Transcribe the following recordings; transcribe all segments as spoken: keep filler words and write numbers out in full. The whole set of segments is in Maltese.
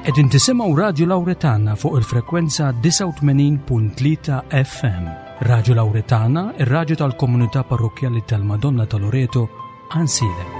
Qegħdin tisimgħu Radju Lawretana fuq il-frekwenza disgħa u tmenin punt tlieta F M. Radju Lawretana, ir-radju tal-Komunità Parrokkjali tal-Madonna ta' Loreto, Għajnsielem.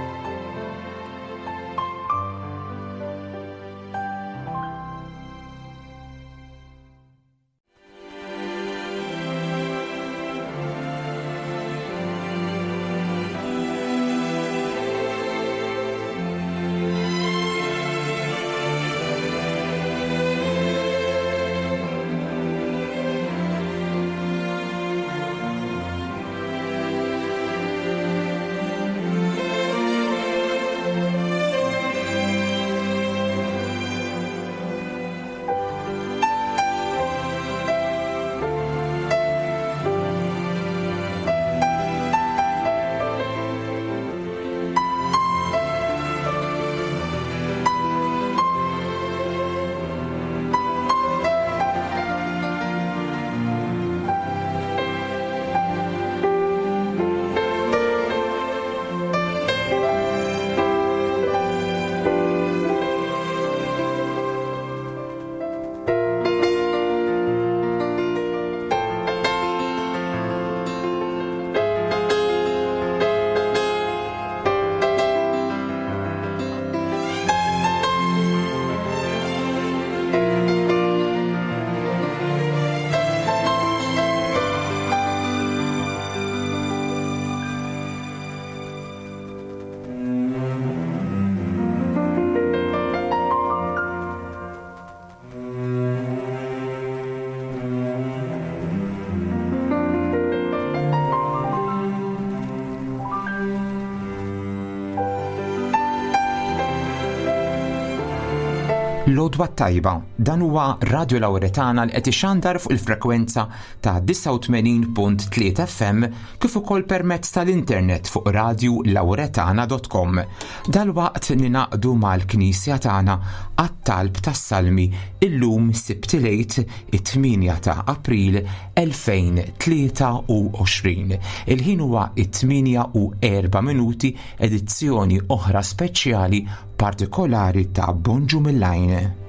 L-għodwa t-tajba, dan huwa Radio Lawretana li qed ixandar fuq il-frekwenza ta' disgħa u tmenin punt tlieta F M kif ukoll permezz tal-internet fuq radiolawretana punt com. Dalwaqt ningħaqdu mal-Knisja tagħna għat-talb tas-Salmi, illum Sibt il-Għid, it-tmienja ta' April elfejn u tlieta u għoxrin. Il-ħin huwa it-tmienja u erba' minuti, edizzjoni oħra speċjali partikolari ta' Bonġu mill-Għajn.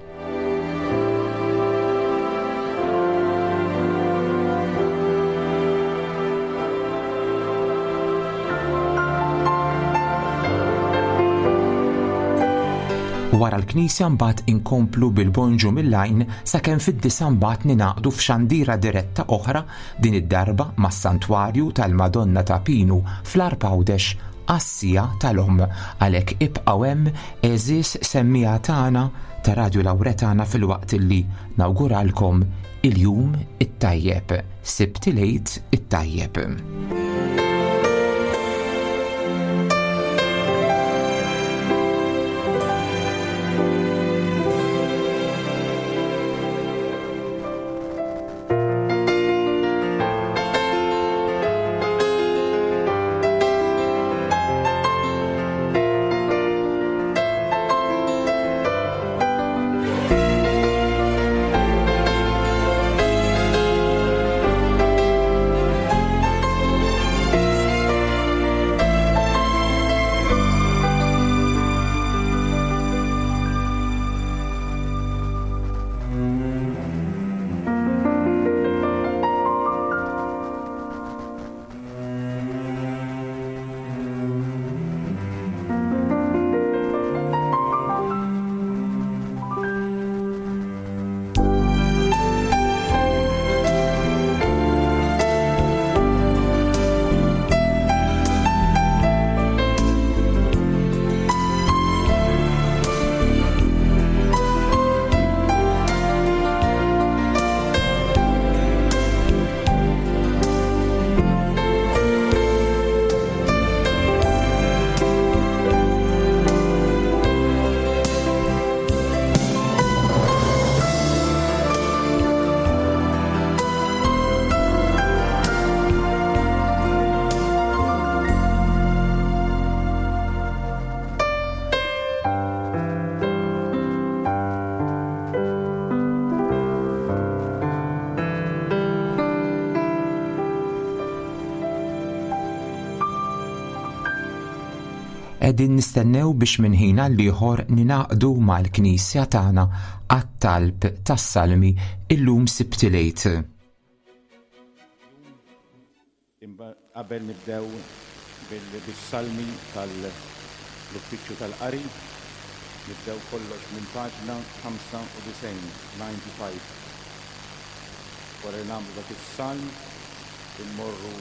Wara l-Knisja mbagħad inkomplu bil-Bonġu mill-Għajn sakemm fid-disgħa mbagħad ningħaqdu f'xandira diretta oħra, din id-darba mas-Santwarju tal-Madonna ta' Pinu fl-Għarb Għawdex għas-siegħa tal-Omm. Għalhekk ibqgħu hemm, għeżież semmiegħa tagħna ta' Radio Lawretana, filwaqt illi nawguralkom il-jum it-tajjeb, Sibt il-Għid it-tajjeb. Qegħdin nistennew biex minn ħin għal ieħor ningħaqdu mal-Knisja tagħna għat-talb tas-Salmi illum Sibt il-Għid. Qabel nibdew bil-salmi tal-uffiċċju tal-qari, nibdew kollox minn paġna ħamsa u disgħin, ninety-five. Wara li nagħmlu dak is-salm, immorru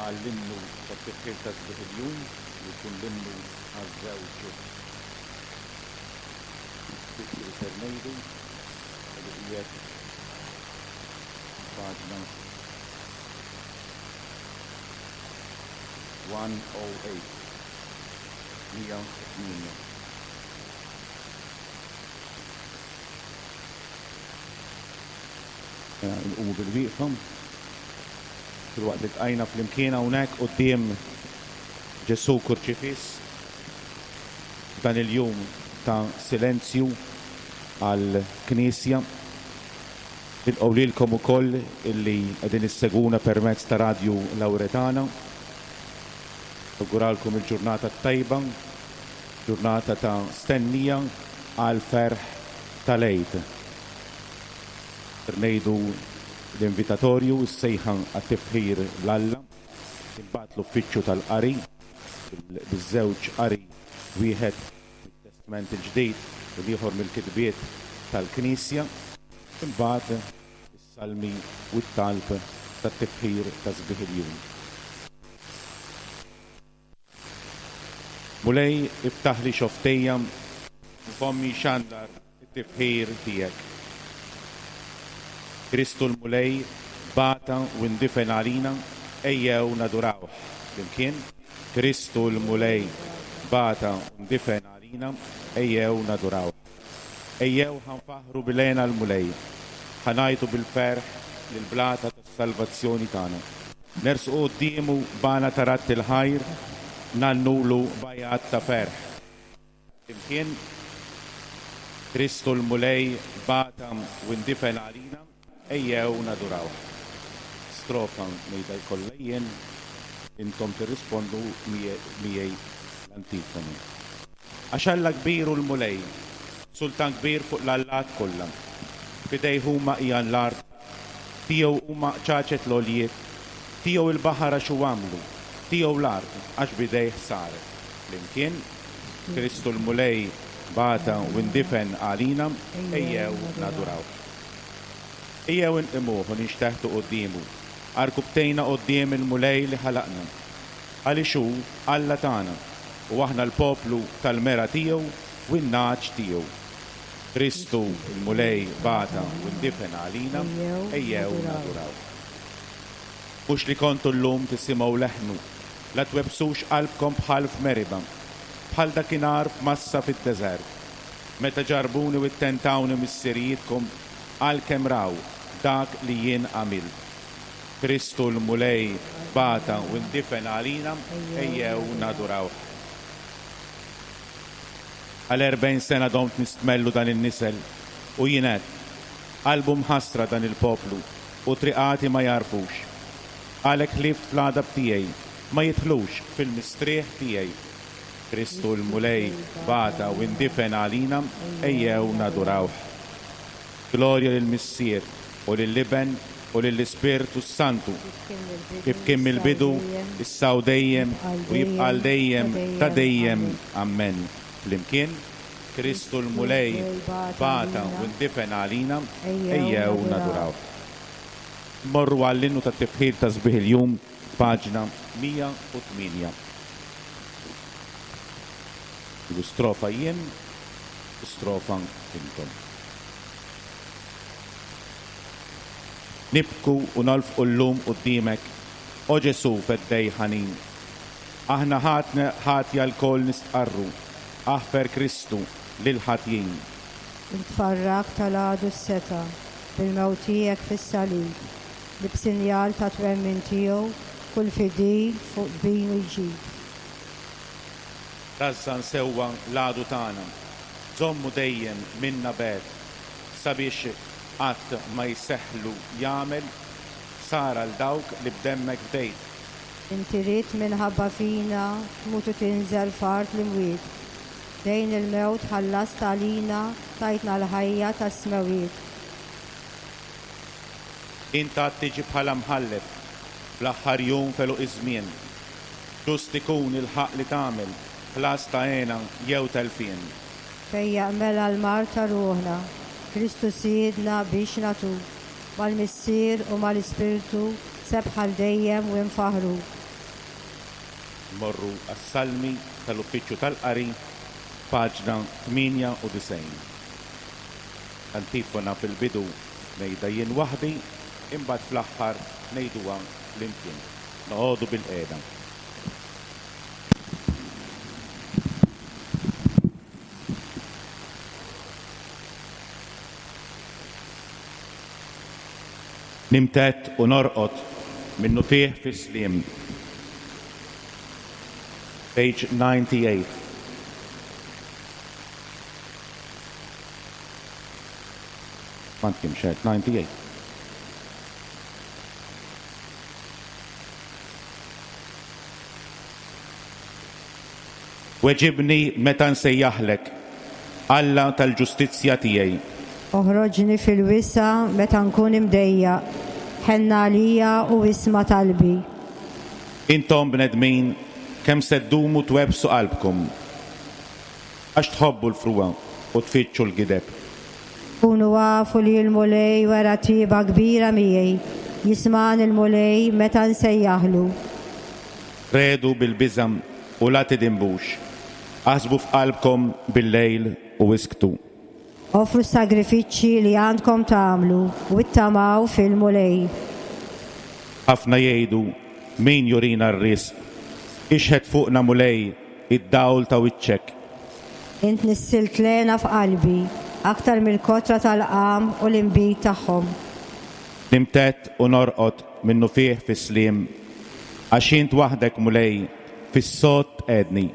għall-innu tat-tifħir ta' sbieħ il-jum, li jkun l-innu għaż-żewġ uffiċċji li ser ngħidu, li qiegħed paġna one oh eight, mija u tmienja. Nqumu bil-wieqfa. Filwaqt li tqajna flimkien hawnhekk quddiem Ġesù Kurċifiss f'dan il-jum ta' silenzju għall-Knisja. Nilqgħu lilkom ukoll illi qegħdin issegwuna permezz ta' Radju Lawretana. Nawguralkom il-ġurnata tajba, ġurnata ta' stennija għal ferħ tal-Għid. Ngħidu l-invitatorju, s-sejħa għat-tifħir l-Alla, imbagħad l-uffiċċju tal-qari, biż-żewġ qari, wieħed mit-Testament il-Ġdid u l-ieħor mill-kitbiet tal-Knisja, imbagħad is-salmi u t-talb tat-tifħir ta' sbieħ il-jum. Mulej, iftaħ li xoftejja u fommi xandar it-tifħir tiegħek. Kristu l-Mulej bata u ndifen għalina, ejjew nadurawh. Flimkien, Kristu l-Mulej bata u ndifen għalina, ejjew nadurawh. Ejjew ħanfaħru bilena l-Mulej, ħanajtu bil-ferħ lill-blata tas-salvazzjoni tagħna. Nersqu quddiemu bana tarat il-ħajr, nannulu bajat ta' ferħ. Flimkien, Kristu l-Mulej bata u ndifen għalina, ejjew nadurawh. Strofa ngħidha kollha jien, intom tirrispondu miegħi l-antifoni. Għax Alla kbir u l-Mulej, sultan kbir fuq l-allat kollha. Fidejh huma hija l-art, tiegħu huma ċaċet l-għoljiet, tiegħu il-baħar għax hu għamlu, tiegħu l-art għax bidejh saret. Flimkien, Kristu l-Mulej bata u ndifen għalina, ejjew naduraw. Ejjew inqimuh u nixteħtu quddiemu, arkubtejna quddiem il-Mulej li ħalaqna. Għaliex hu Alla tagħna u aħna l-poplu tal-mera tiegħu u n-nagħaġ tiegħu. Kristu l-Mulej bata u ndifen għalina, ejjew naduraw. Mhux li kontu llum tisimgħu leħnu, la twebsux qalbkom bħal f'Meriba, bħal dakinhar f'Massa fid-deżert, meta ġarbuni u ttentawni missirijietkom għalkemm raw dak li jien għamilt. Kristu l-Mulej bata u ndifen għalina, ejjew naduraw. Għal erbgħin sena domt nistmellu dan in-nisel u jien għedt, qalbu mħassra dan il-poplu u triqati ma jarfux. Għalhekk ħlift fl-għadab tiegħi, ma jidħlux fil-mistrieħ tiegħi. Kristu l-Mulej bata u ndifen għalina, ejjew nadurawh. Glorja lill-Missier u lill-Iben u lill-Ispirtu Santu, kif kien mill-bidu, issa u dejjem u jibqa' għal dejjem ta' dejjem. Amen. Flimkien, Kristu l-Mulej bata u ndifen għalina, ejjew nadurawh. Morru għall-innu tat-tifħir ta' sbieħ il-jum, paġna mija u tmienja. Strofa jien, strofa intom. Nibku u nolfqu llum quddiemek, o Ġesù feddej ħanin. Aħna ħatna ħatja lkoll nistqarru, aħfer Kristu lil ħatjin. Intfarrak tal-għadu s-seta' bil-mewt tiegħek fis-salib, li b'sinjal ta' twemmin tiegħu kull fidil fuq binu jġib. Rażżan sewwa l-għadu tagħna, żommu dejjem minna bed, sabiex qatt ma jseħħlu jagħmel sara l dawk li b'demmek fdejt. Inti ridt minħabba fina tmut u tinżel f'art l-imwiet. Dejn il-mewt ħallast għalina, tajtna l-ħajja tas-smewwiet. Int għad tiġi bħala mħallef fl-aħħar jum f'għeluq iż-żmien. Ġust ikun il-ħaqq li tagħmel, ħlas ta' hena jew telfien. Fejjaq mela l-mard ta' ruħna, Kristu Sidna biex nagħtuk, mal-Missier u mal-Ispirtu sebħ għal dejjem u nfaħħru. Morru għas-Salmi tal-Uffiċċju tal-Qari, paġna tmienja u disgħin. Antifona fil-bidu ngħidha jien waħdi, imbagħad fl-aħħar ngħiduha flimkien. Noqogħdu bilqiegħda. Nimtedd u norqod minnufih fis-sliem. Page ninety-eight. Għandkom xed, ninety-eight. Weġibni meta nsejjaħlek, Alla tal-ġustizzja tiegħi. Oħroġni fil-wisa' meta nkun imdejjaq, ħenn għalija u isma' talbi. Intom bnedmin, kemm se ddumu twebbsu qalbkom? Għax tħobbu l-frugħa u tfittxu l-gideb. Kunu afu li l-Mulej wera tjieba kbira miegħi, jismagħni l-Mulej meta nsejjaħlu. Triegħdu bil-biża' u la tidinbux. Aħsbu f'qalbkom bil-lejl u isktu. Offru sagrifiċċji li għandkom tagħmlu u ittamaw fil-Mulej. Ħafna jgħidu, min jurina r-risq? Ixħet fuqna, Mulej, id-dawl ta' wiċċek. Int nissilt l-hena f'qalbi, aktar mill-kotra tal-qamħ u l-inbid tagħhom. Nimtedd u norqod minnufih fis-sliem, għax int waħdek, Mulej, fis-sod tqegħedni.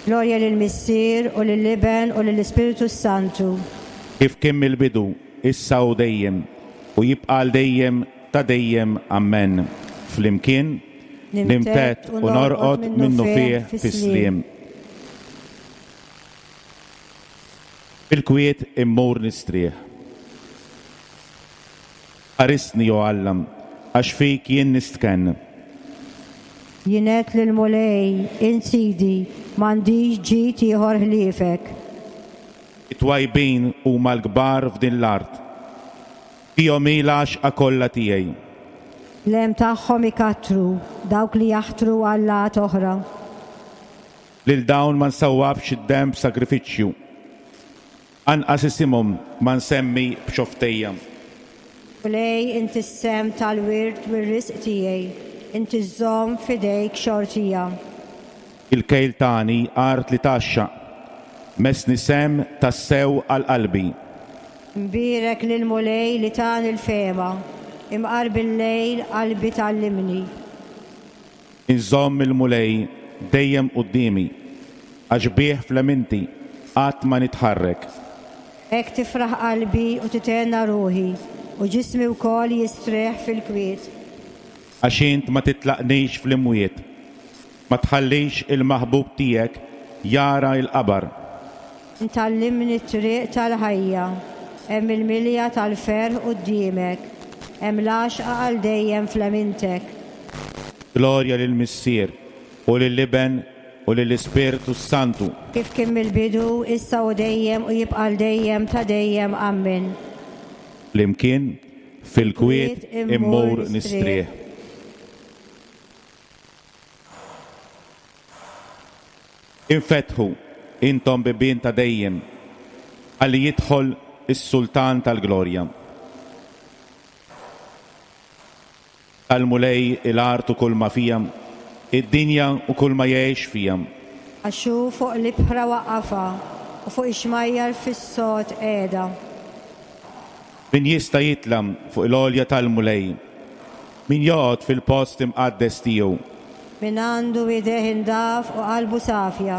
Glorja lill-Missier u lill-Iben u lill-Ispiritu Santu. Kif kien mill-bidu, issa u dejjem, u jibqa' għal dejjem ta' dejjem. Amen. Flimkien, nimtedd u norqod minnufih fis-sliem. Fil-kwiet immur nistrieħ. Ħarisni, o Alla, għax fik jien nistkenn. Jien għedt lill-Mulej, int Sidi, m'għandix ġid ieħor ħliefek. It-twajbin huma l-kbar f'din l-art. Fihom hi l-għaxqa kollha tiegħi. L-hemm tagħhom ikattru dawk li jaħtru allat oħra. Lil dawn ma nsawwabx id-demm b'sagrifiċċju. Anqas isimhom ma nsemmi b'xofftejja. Mulej, inti s-sehem tal-wirt u r-risq tiegħi, inti żżomm f'idejk xortija. Il-kejl tani art li tgħaxxaq, messni sehem tassew għal qalbi. Imbierek lill-Mulej li tani l-fehma, imqar bil-lejl qalbi tgħallimni. Inżomm il-Mulej dejjem quddiemi, għax bih f'leminti qatt ma nitħarrek. Hekk tifraħ qalbi u tithenna ruħi, u ġismi wkoll jistrieħ fil-kwiet. Għax int ma titlaqnix fl-imwiet, ma tħallix il-maħbub tiegħek jara l-qabar. Int tgħallimni t-triq tal-ħajja, hemm il-milja tal-ferħ quddiemek, hemm l-għaxqa għal dejjem f'lemintek. Glorja lill-Missier u lill-Iben u lill-Ispirtu Santu. Kif kien mill-bidu, issa u dejjem u jibqa' għal dejjem ta' dejjem. Amen. Flimkien, fil-kwiet immur nistrieħ. Infetħu intom bibien ta' dejjem, ħalli jidħol is-Sultan tal-Glorja. Tal-Mulej il-art u kull ma fija, id-dinja u kull ma jgħix fija. Għax hu fuq l-ibħra waqqafha u fuq ix-xmajjar fis-sod qiegħda. Min jista' jitla' fuq l-għolja tal-Mulej, min joqgħod fil-post imqaddes tiegħu. Min għandu idejh indaf u qalbu safja,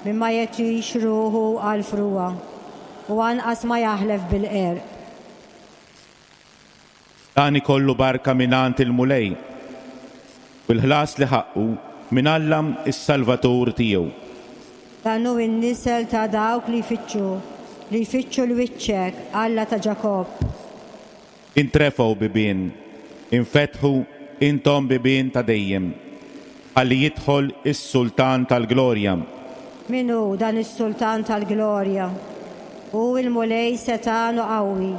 min ma jagħtix ruħu għal frugħa, u anqas ma jaħlef bil-qerq. Dan ikollu barka mingħand il-Mulej u fil-ħlas li ħaqqu minn Alla is-Salvatur tiegħu. Dan hu n-nisel ta' dawk li jfittxu, li jfittxu l-wiċċek, Alla ta' Ġakobb. Intrefgħu bibien, infetħu intom bibien ta' dejjem, ħalli jidħol is-Sultan tal-Glorja. Min hu dan is-Sultan tal-Glorja? Hu il-Mulej setgħan u qawwi,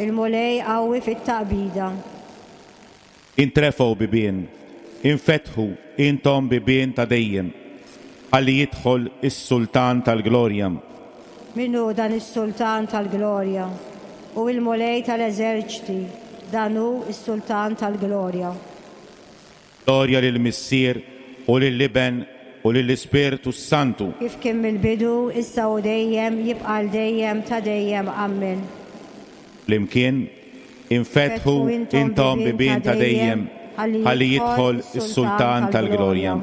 il-Mulej qawwi fit-taqbida. Intrefgħu bibien, infetħu intom bibien ta' dejjem, ħalli jidħol is-Sultan tal-Glorja. Min hu dan is-Sultan tal-Glorja? Hu il-Mulej tal-eżerċti, dan hu is-Sultan tal-Glorja. Glorja lill-Missier u lill-Iben u lill-Ispirtu Santu. Kif kien mill-bidu, issa u dejjem, jibqa' għal dejjem ta' dejjem. Amen. Flimkien, infetħu intom bibien ta' dejjem, ħalli jidħol is-Sultan tal-Glorja.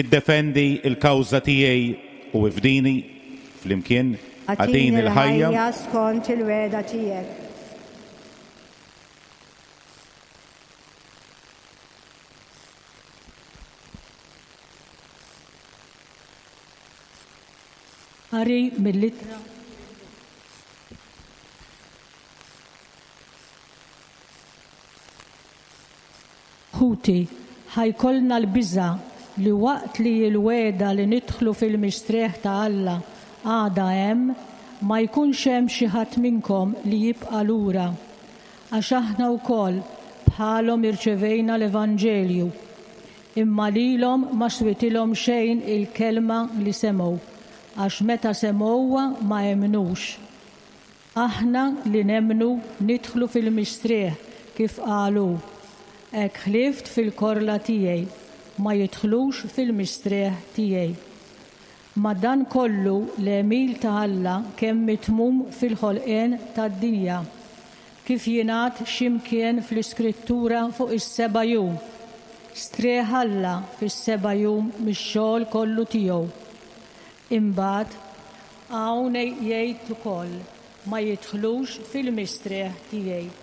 Iddefendi il-kawża tiegħi u ifdini, flimkien, agħtini l-ħajja skont il-wegħda tiegħek. Qari mill-ittra Ħuti, ħa jkollna l-biża' li waqt li l-wegħda li nidħlu fil-mistrieħ ta' Alla għada hemm, ma jkunx hemm xi ħadd minnkom li jibqa' lura. Għax aħna wkoll bħalhom irċevejna l-Evanġelju, imma lilhom ma switilhom xejn il-kelma li semgħu, għax meta semgħuha ma emmnux. Aħna li nemmnu nidħlu fil-mistrieħ kif qalu. Hekk ħlift fil-korla tiegħi, ma jidħlux fil-mistrieħ tiegħi. Ma dan kollu l-għemil ta' Alla kemm mitmum fil-ħolqien tad-dinja, kif jingħad x'imkien fl-Iskrittura fuq is-seba' jum. Strieħ Alla fis-seba' jum mix-xogħol kollu tiegħu. Imbagħad hawn jgħid ukoll ma jidħlux fil-mistrieħ tiegħi.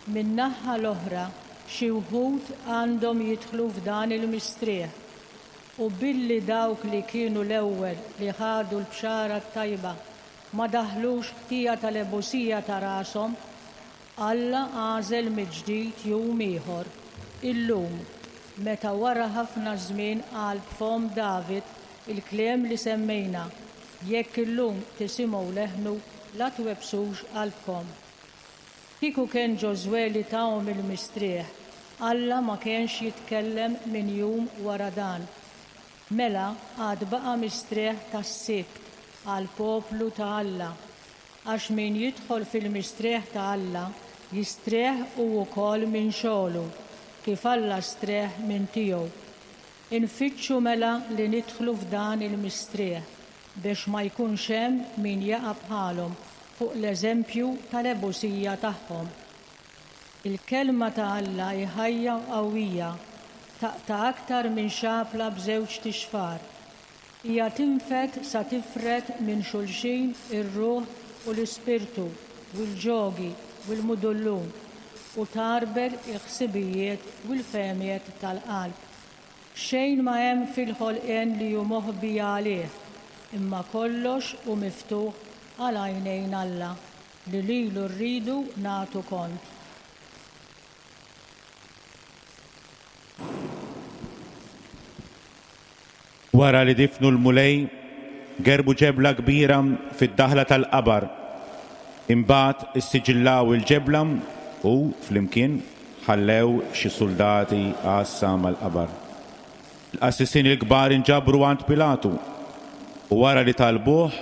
Min-naħa l-oħra xi wħud għandhom jidħlu f'dan il-mistrieħ, u billi dawk li kienu l-ewwel li ħadu l-bxara t-tajba ma daħlux ħtija tal-ebusija ta' rashom, Alla għażel mill-ġdid jum ieħor, illum, meta wara ħafna żmien qal b'fom David il-kliem li semmejna, jekk illum tisimgħu leħnu la twebbsux qalbkom. Kieku kien Ġożwè li tahom il-mistrieħ, Alla ma kienx jitkellem minn jum wara dan. Mela għad baqa' mistrieħ tas-Sibt għal poplu ta' Alla, għax min jidħol fil-mistrieħ ta' Alla jistrieħ u wkoll minn xogħlu, kif Alla strieħ minn tiegħu. Infittxu mela li nidħlu f'dan il-mistrieħ biex ma jkunx hemm min jaqa' bħalhom fuq l-eżempju tal-ebusija tagħhom. Il-kelma ta' Alla hi ħajja u qawwija, taqta' aktar minn xapla b'żewġ tixfar. Hija tinfed sa tifred minn xulxin ir-ruħ u l-ispirtu u l-ġogi u l-mudullun u tarbel il-ħsibijiet u l-fehmiet tal-qalb. Xejn ma hemm fil-ħolqien li hu moħbi għalih, imma kollox hu miftuħ għal għajnejn Alla li lilu rridu nagħtu kont. Wara li difnu l-Mulej, gerbu ġebla kbira fid-daħla tal-qabar. Imbagħad issiġillaw il-ġebla u flimkien ħallew xi soldati għassa mal-qabar. Il-qassisin il-kbar inġabru għand Pilatu u wara li talbuh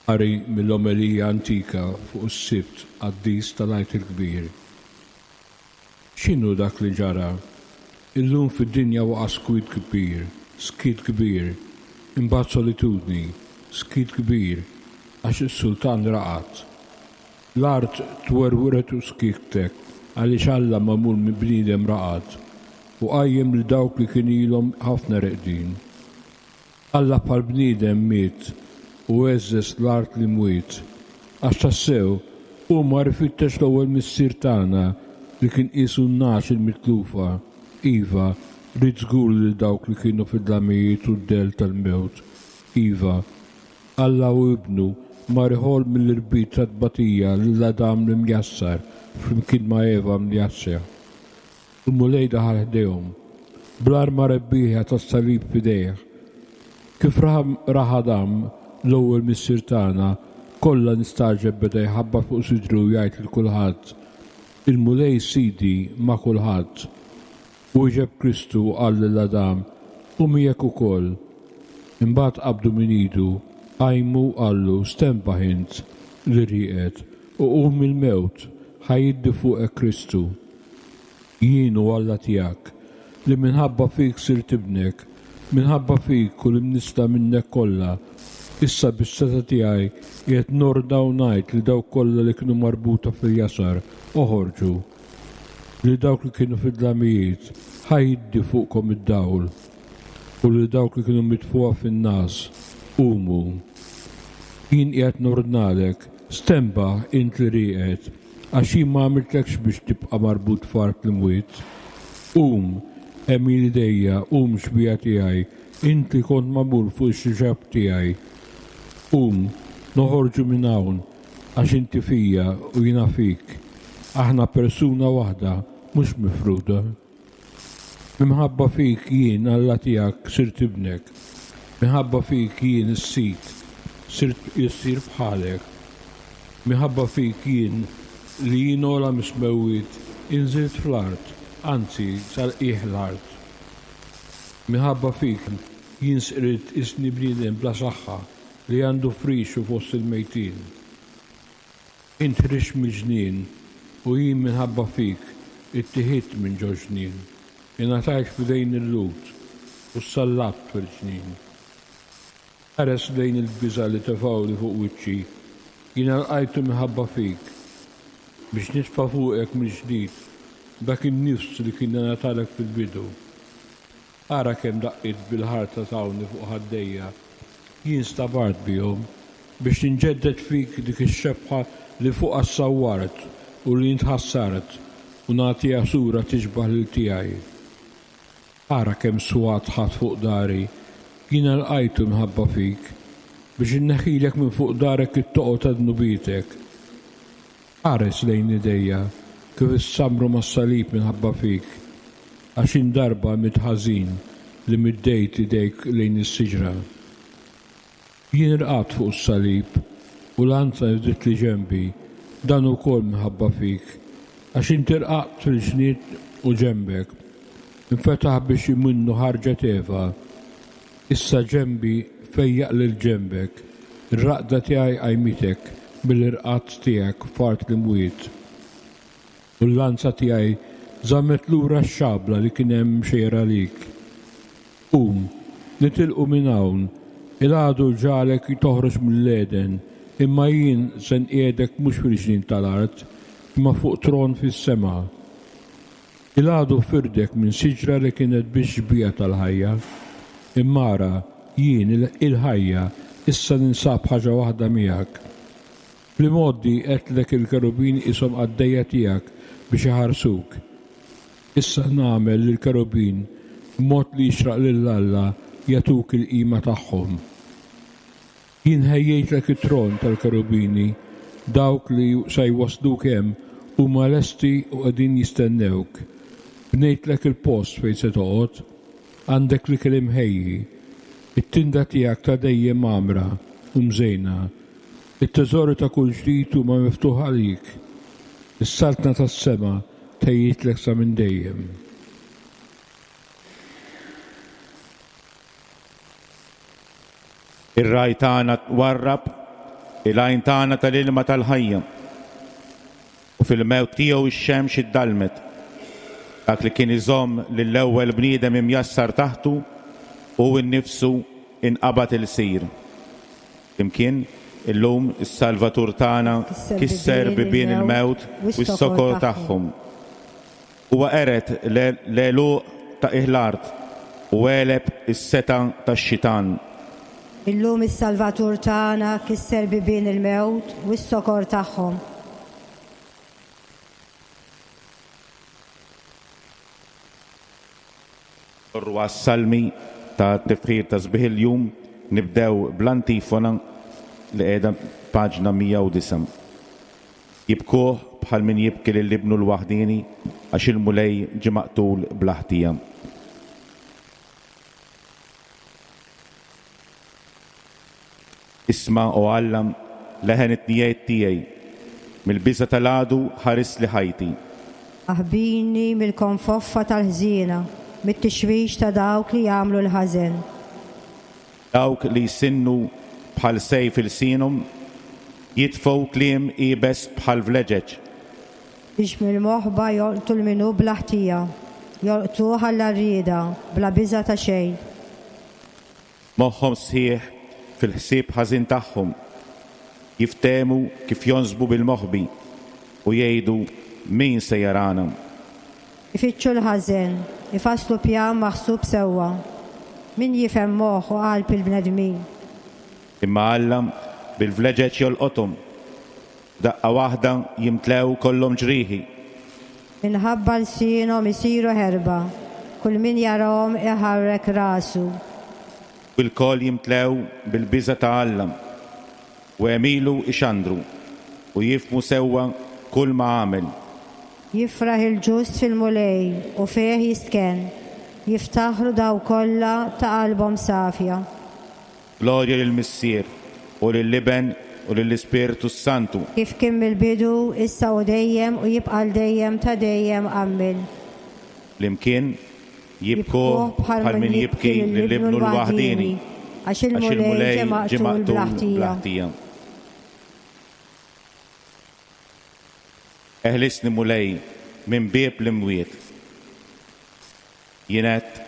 Qari mill-omelija antika fuq is-Sibt qaddis tal-Għid il-Kbir. X'inhu dak li ġara? Illum fid-dinja waqa' skwit kbir, skiet kbir, imbagħad solitudni, skiet kbir, għax is-sultan raqad. L-art twerwret u skiktek għaliex Alla magħmul minn bniedem raqad u qajjem lil dawk li kien ilhom ħafna reqdin. Alla bħal bniedem miet u għeżżeż l-art li mwiet, għax tassew Hu mar ifittex l-ewwel missier tagħna li kien qisu n-nagħaġ il-mitlufa. Iva, ried żgur lil dawk li kienu fid-dlamijiet u d-dell tal-mewt. Iva, Alla u Ibnu mar iħoll mill-irbit tat-tbatija lil Adam l-imjassar flimkien ma' Eva mjassra. Il-Mulej daħal ħdejhom, bl-arma rebbieħa tas-salib f'idejh. Kif ra Adam, l-ewwel missier tagħna, kollha nistagħġeb beda jħabbat fuq sidru u jgħid lil kulħadd, Il-Mulej Sidi ma' kulħadd. Wieġeb Kristu u qal lil Adam, Hu miegħek ukoll. Imbagħad qabdu minn idu, qajmu u qallu, Stenbaħ int li rieqed, u qum mill-mewt, ħa jiddi fuqek Kristu. Jien hu Alla tiegħek, li minħabba fik sirt ibnek, minħabba fik u l-imnissla minnek kollha, issa bis-setgħa tiegħi qiegħed nordna u ngħid lil dawk kollha li kienu marbuta fil-jasar, Oħorġu. Lil dawk li kienu fid-dlamijiet, ħa jiddi fuqkom id-dawl. U lil dawk li kienu mitfugħa fin-ngħas, Qumu. Jien qiegħed nordnalek, stenbaħ int li rieqed, għax jien ma għamiltlekx biex tibqa' marbut f'art l-imwiet. Qum, għemil idejja, qum xbieha tiegħi, int li kont magħmul fuq ix-xbah tiegħi. Qum, noħorġu minn hawn, għax inti fija u jiena fik. Aħna persuna waħda, mhux mifruda. Minħabba fik jien, Alla tiegħek, sirt ibnek. Minħabba fik jien is-Sid, sirt ilsir bħalek. Minħabba fik jien, li jien ogħla mis-smewwiet, inżilt fl-art, anzi sal-qiegħ l-art. Minħabba fik jien sqirt isni bniedem bla saħħa li għandu frixu fost il-mejtin. Int ħriġt mill-ġnien u jien minħabba fik ittiħidt minn ġol-ġnien. Ingħatajt f'idejn il-Lhud u ssallabt fil-ġnien. Ħares lejn il-biża' li tefgħuli fuq wiċċi, jiena lqajtu minħabba fik, biex nitfa' fuqek mill-ġdid dak in-nifs li kien ingħatalek fil-bidu. Ara kemm daqqiet bil-ħarta tawni fuq ħaddejja, jien stabart bihom, biex inġedded fik dik ix-xebħa li fuqha ssawwart u li int ħassart, u nagħtiha sura tixbah lil tiegħi. Ara kemm swat ħadt fuq dari, jiena lqajtu minħabba fik, biex inneħħilek minn fuq darek it-toqol ta' dnubietek. Ħares lejn idejja, kif issammru mas-salib minħabba fik, għax jien darba għamilt ħażin li middejt idejk lejn is-siġra. Jien irqadt fuq is-salib, u lanza nifditli ġenbi, dan ukoll minħabba fik, għax inti rqadt fil-ġnien u ġenbek infetaħ biex minnu ħarġet Eva. Issa ġenbi fejjaq lil ġenbek, ir-raqda tiegħi qajmitek mill-irqad tiegħek f'art l-imwiet. U l-lanza tiegħi żammet lura x-xabla li kien hemm mxejra għalik. Qum, nitilqu minn hawn, il-għadu ġagħlek toħroġ mill-Għeden, imma jien se nqiegħdek mhux fil-ġnien tal-art, imma fuq tron fis-sema. Il-għadu firdek minn siġra li kienet biss xbieha tal-ħajja. Imma ara, jien, il-ħajja, issa ninsab ħaġa waħda miegħek. Fl-imgħoddi għedtlek il-kerubin qishom qaddejja tiegħek biex iħarsuk. Issa nagħmel li l-kerubin, b'mod li jixraq lil Alla, jagħtuk il-qima tagħhom. Jien ħejjejtlek it-tron tal-kerubini, dawk li sa jwassluk hemm huma lesti u qegħdin jistennewk. Bnejtlek il-post fejn se toqgħod, għandek l-ikel imħejji, it-tinda tiegħek ta' dejjem mgħammra u mżejna, it-teżori ta' kull ġdid huma miftuħ għalik. Is-saltna tas-sema tħejjitlek sa minn dejjem. Ir-ragħaj tagħna warrab il-għajn tagħna tal-ilma tal-ħajja, u fil-mewt tiegħu x-xemx iddallmet. Dak li kien iżomm lill-ewwel bniedem imjassar taħtu, hu nnifsu inqabad ilsir. Flimkien, illum is-Salvatur tagħna kisser bibien il-mewt u s-sokor tagħhom. Huwa qered l-għeluq ta' qiegħ l-art u għeleb is-setgħa tax-xitan. Illum is-Salvatur tagħna kisser bibien il-mewt u s-sokor tagħhom. Morru għas-salmi ta' tifħir ta' sbieħ il-jum, nibdew bl-antifona li qiegħda paġna mija u disgħa. Jibkuh bħal min jibki lil ibnu l-waħdini għax il-Mulej ġie maqtul bla ħtija. Isma', o Alla, leħen it-tnijiet tiegħi, mill-biża' tal-għadu ħares li ħajti. Aħbini mill-konfoffa tal-ħżiena, mit-tixwix ta' dawk li jagħmlu l-ħażen. Dawk li jsinnu bħal sejf ilsienhom, jitfgħu kliem iebes bħal vleġeġ. Biex mill-moħba jolqtu l-minu bla ħtija, jolqtuh għall-għarrieda bla biża' ta' xejn. Moħħhom sħiħ fil-ħsieb ħażin tagħhom, jiftehmu kif jonsbu bil-moħbi u jgħidu min se jarana. Ifittxu l-ħażen, ifasslu pjan maħsub sewwa. Min jifhem moħħ u qalb il-bnedmin. Imma Alla bil-vleġeġ jolqothom, daqqa waħda jimtlew kollhom ġrieħi. Minħabba lsienhom isiru ħerba, kull min jarahom iħarrek rasu. U l-koll jimtlew bil-biża' ta' Alla, u għemilu ixandru, u jifhmu sewwa kull ma għamel. Jifraħ il-ġust fil-Mulej u fih jistkenn, jiftaħru daw kollha ta' qalbhom safja. Glorja lill-Missier u lill-Iben u lill-Ispirtu s-Santu. Kif kien mill-bidu, issa u dejjem u jibqa' l dejjem ta' dejjem. Amen. Flimkien jibkuh bħal min jibki lil ibnu l-waħdini, għax il-Mulej ġie maqtul bla ħtija. Eħlisni Mulej minn bieb l-imwiet. Jien għedt,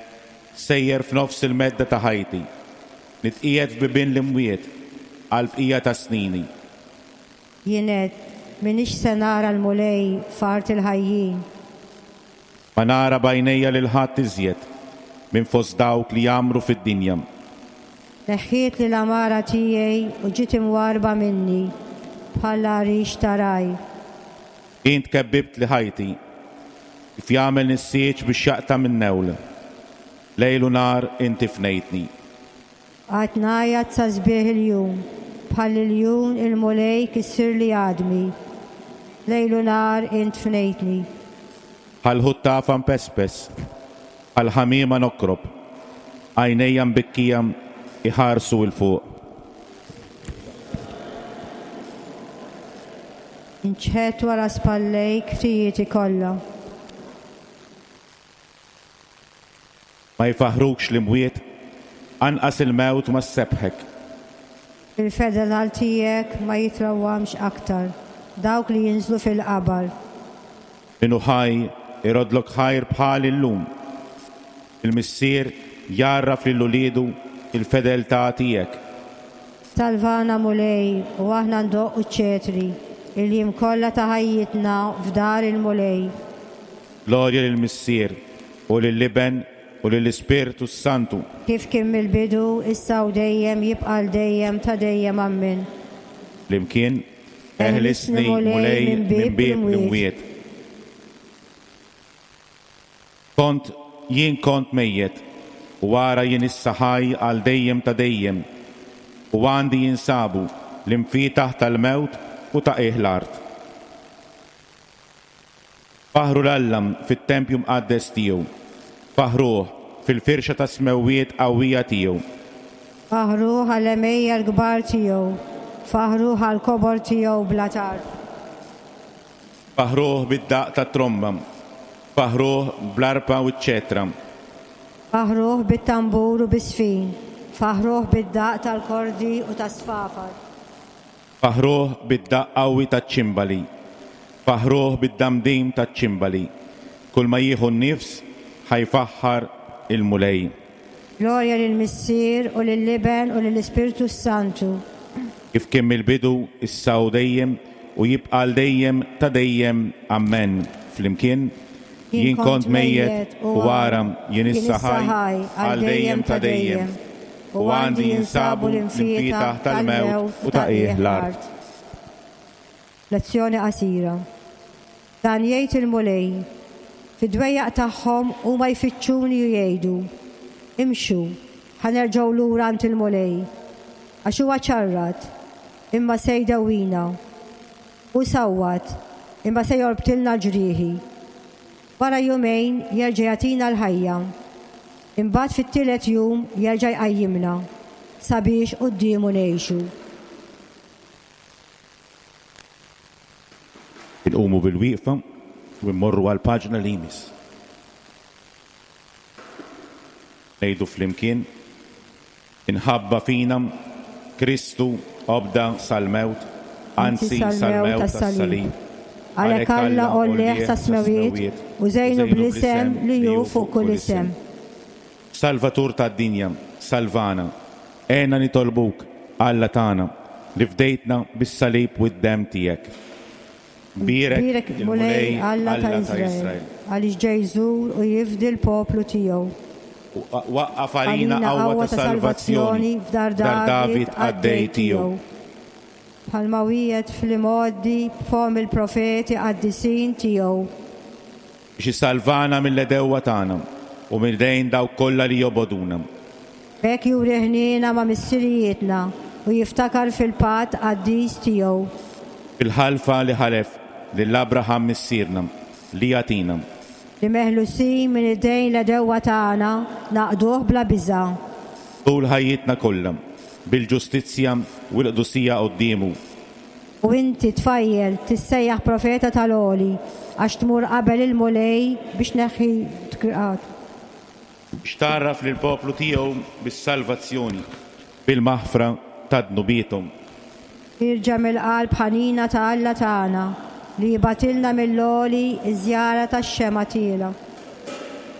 sejjer f'nofs il-medda ta' ħajti, nitqiegħed f'bibien l-imwiet għal bqija ta' snini. Jien għedt, m'iniex se nara l-Mulej f'art il-ħajjin. Ma nara b'għajnejja lil ħadd iżjed minn fost dawk li jgħammru fid-dinja. Neħħiet li l-amara tiegħi u ġiet imwarba minni bħal għarix ta' raj. Int kebbibt li ħajti, kif jagħmel nissieġ biex jaqta' minn newl. Lejl u nhar inti fnejtni. Qatt ngħajjat sa sbieħ il-jum, bħal iljun il-Mulej kissirli għadmi. Lejl u nhar int fnejtni. Bħal ħuttafa mpespes, bħal ħamiema nokrob, għajnejja mbikkija iħarsu 'l fuq. Inċħet wara spallejk ħtijieti kollha. Ma jfaħrukx l-imwiet, anqas il-mewt ma ssebħek. Il-fedelal tiegħek ma jitrawwamx aktar, dawk li jinżlu fil-qabar. Min hu ħaj irodlok ħajr bħal illum. Il-Missier jgħarraf lil uliedu il-fedeltà tiegħek. Salvana Mulej u aħna ndoqqu ċ-ċetri, il-jiem kollha ta' ħajjitna f'dar il-Mulej. Glorja lill-Missier u lill-Iben u lill-Ispirtu s-Santu. Kif kien mill-bidu, issa u dejjem, jibqa' l dejjem ta' dejjem. Amen. Flimkien, eħlisni Mulej minn bieb l-imwiet. Kont jien kont mejjet, u ara jien issa ħaj għal dejjem ta' dejjem, u għandi jinsabu l-imfietaħ tal-mewt u ta' qiegħ l-art. Faħru l-Alla fit-tempju mqaddes tiegħu, faħruh fil-firxa ta' smewwiet qawwija tiegħu. Faħruh għall-għemejja l-kbar tiegħu, faħruh għall-kobor tiegħu bla tarf. Faħruh bid-daqq tat-tromba, faħruh bl-arpa u ċ-ċetra. Faħruh bit-tambur u bis-sfin, faħruh bid-daqq tal-kordi u tas-sfafar. Faħruh bid-daqq qawwi taċ-ċimbali, faħruh bid-damdim taċ-ċimbali. Kull ma jieħu n-nifs ħajfaħħar il-Mulej. Glorja lill-Missier u lill-Iben u lill-Ispirtu s-Santu. Kif kien mill-bidu, issa u dejjem, u jibqa' l dejjem ta' dejjem. Amen. Flimkien, jien kont mejjet u ara jien issa ħaj għal dejjem ta' dejjem, u għandi jinsabu l-imfietaħ tal-mewt u ta' qiegħ l-art. Lezzjoni qasira. Dan jgħid il-Mulej, Fid-dwejjaq tagħhom huma jfittxuni u jgħidu: Imxu, ħa nerġgħu lura għand il-Mulej. Għax huwa ċarrat, imma se jdewwina. U sawwat, imma se jorbtilna l-ġrieħi. Wara jumejn jerġa' jagħtina l-ħajja. Imbagħad fit-tielet jum jerġa' jqajjimna sabiex quddiemu ngħixu. Inqumu bil-wieqfa u mmorru għall-paġna li jmiss. Ngħidu flimkien, inħabba fina Kristu obda sal-mewt, anzi sal-mewt tas-salib. Għalhekk Alla għollih sas-smewwiet u żejnu bl-isem li hu fuq kull isem. Salvatur tad-dinja, salvana, għenna nitolbuk, Alla tagħna, li fdejtna bis-salib u d-demm tiegħek. Bierek il-Mulej Alla ta' Iżrael, għaliex ġej jżur u jifdi l-poplu tiegħu. Waqqaf għalina qawwa ta' salvazzjoni f'dar David qaddej tiegħu. Bħalma wiegħed fl-imgħoddi b'fomm il-profeti qaddisin tiegħu. Biex isalvana mill-għedewwa tagħna u minn idejn dawk kollha li jobogħduna. B'hekk juri ħniena ma' missirijietna u jiftakar fil-patt qaddis tiegħu. Fil-ħalfa li ħalef lil Abraham missierna li jagħtina. Li meħlusin minn idejn l-għedewwa tagħna naqduh bla biża'. Tul ħajjitna kollha bil-ġustizzja u l-qdusija quddiemu. U inti tfajjel tissejjaħ profeta tal-Għoli għax tmur qabel il-Mulej biex tneħħi tkraqat. Biex tgħarraf lill-poplu tiegħu bis-salvazzjoni, bil-maħfra ta' dnubiethom. Irġa' mill-qalb ħanina ta' Alla tagħna li jibgħatilna mill-għoli iż-żjara tax-xemgħa tiela.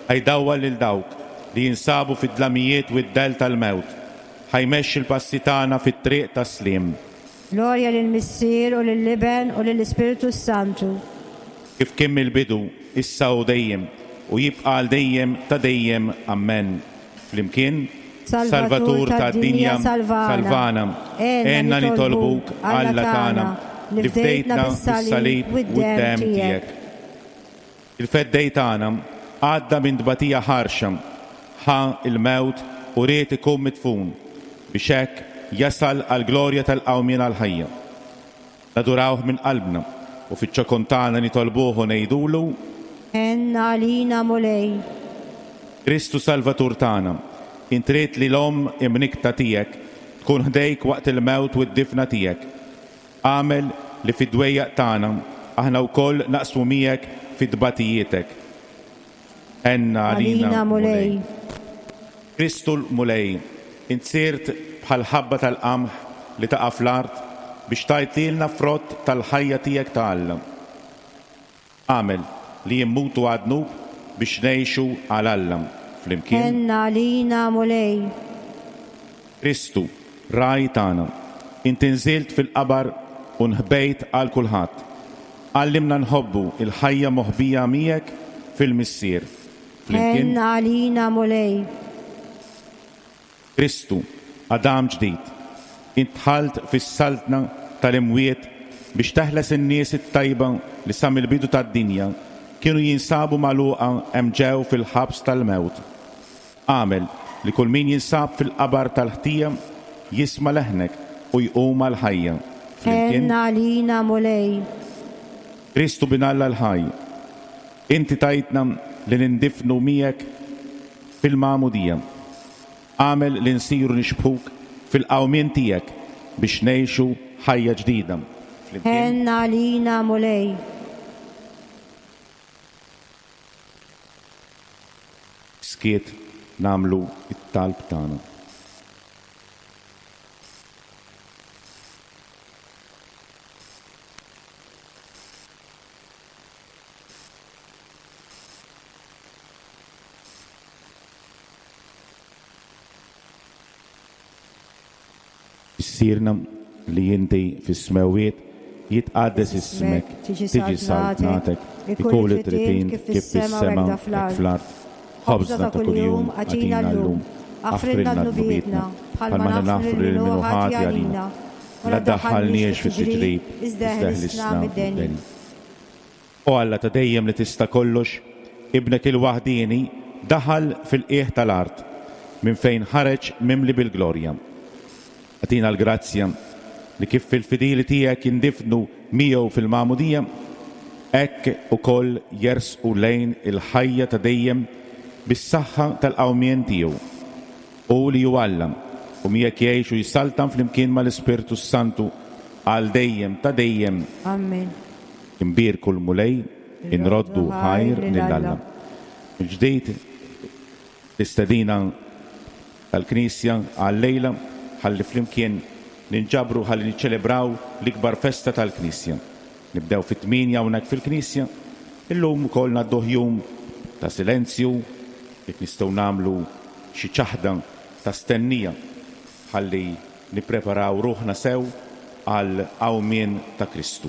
Ħa jdawwal lil dawk li jinsabu fid-dlamijiet u d-dell tal-mewt, ħa jmexxi l-passi tagħna fit-triq tas-sliem. Glorja lill-Missier u lill-Iben u lill-Ispirtu Santu. Kif kien mill-bidu, issa u dejjem, u jibqa' għal dejjem ta' dejjem. Amen. Flimkien, Salvatur tad-dinja, salvana, għenna nitolbuk, Alla tagħna, li fdejtna bis-salib u d-demm tiegħek. Il-feddej tagħna għadda minn tbatija ħarxa, ħa il-mewt u ried ikun midfun biex hekk jasal għall-glorja tal-qawmien għall-ħajja. Nadurawh minn qalbna u fiċ-ċokon tagħna nitolbuh u ngħidulu: Għenna għalina Mulej. Kristu Salvatur tagħna, int ridt li l-omm imnikta tiegħek tkun ħdejk waqt il-mewt u d-difna tiegħek. Agħmel li fid-dwejjaq tagħna aħna wkoll naqsmu miegħek fit-tbatijietek. Għenna għalina Mulej. Kristu l-Mulej, int sirt bħal ħabba tal-qamħ li taqa' fl-art biex tagħtilna frott tal-ħajja tiegħek ta' Alla. Agħmel li jimmutu għad-dnub biex ngħixu għal Alla. Flimkien. Għenna għalina Mulej. Kristu, ragħaj tagħna, int inżilt fil-qabar u nħbejt għal kulħadd. Għallimna nħobbu il-ħajja moħbija miegħek fil-Missier. Flimkien. Għenna għalina Mulej. Kristu, Adam ġdid, int dħalt fis-saltna tal-imwiet biex teħles in-nies it-tajba li sa mill-bidu tad-dinja kienu jinsabu magħluqa hemm ġew fil-ħabs tal-mewt. Agħmel li kull min jinsab fil-qabar tal-ħtija jisma' leħnek u jqum għall-ħajja. Flimkien. Għenna għalina Mulej. Kristu bin Alla l-ħaj, inti tajtna li nindifnu miegħek fil-magħmudija. Agħmel li nsiru nixbħuk fil-qawmien tiegħek biex ngħixu ħajja ġdida. Flimkien. Għenna għalina Mulej. Skiet nagħmlu it-talb tagħna. Missierna li inti fis-smewwiet, jitqaddes ismek, tiġi saltnatek, ikun li trid int kif fis-sema hekk fl-art. Ħobżna ta' kuljum agħtina llum, aħfrilna dnubietna bħalma naħfru lil min hu ħati għalina. La ddaħħalniex fit-tiġrib, iżda ħlisna mid-deni. O Alla ta' dejjem li tista' kollox, Ibnek il-waħdieni, daħal fil-qiegħ tal-art, minn fejn ħareġ mimli bil-glorja. Agħtina l-grazzja li kif fil-fidili tiegħek jindifnu miegħu fil-magħmudija, hekk ukoll jersqu lejn il-ħajja ta' dejjem bis-saħħa tal-qawmien tiegħu. U li hu Alla, u miegħek jgħix u jsaltan flimkien mal-Ispirtu Santu għal dejjem ta' dejjem. Amen. Imbierku l-Mulej, inroddu ħajr lil Alla. Il-ġdid l-istedina tal-Knisja għal-lejla ħalli flimkien ninġabru ħalli niċċelebraw l-ikbar festa tal-Knisja. Nibdew fit-tmienja hawnhekk fil-Knisja, illum ukoll ngħadduh jum ta' silenzju, jekk nistgħu nagħmlu xi ċaħda ta' stennija ħalli nippreparaw ruħna sew għal qawmien ta' Kristu.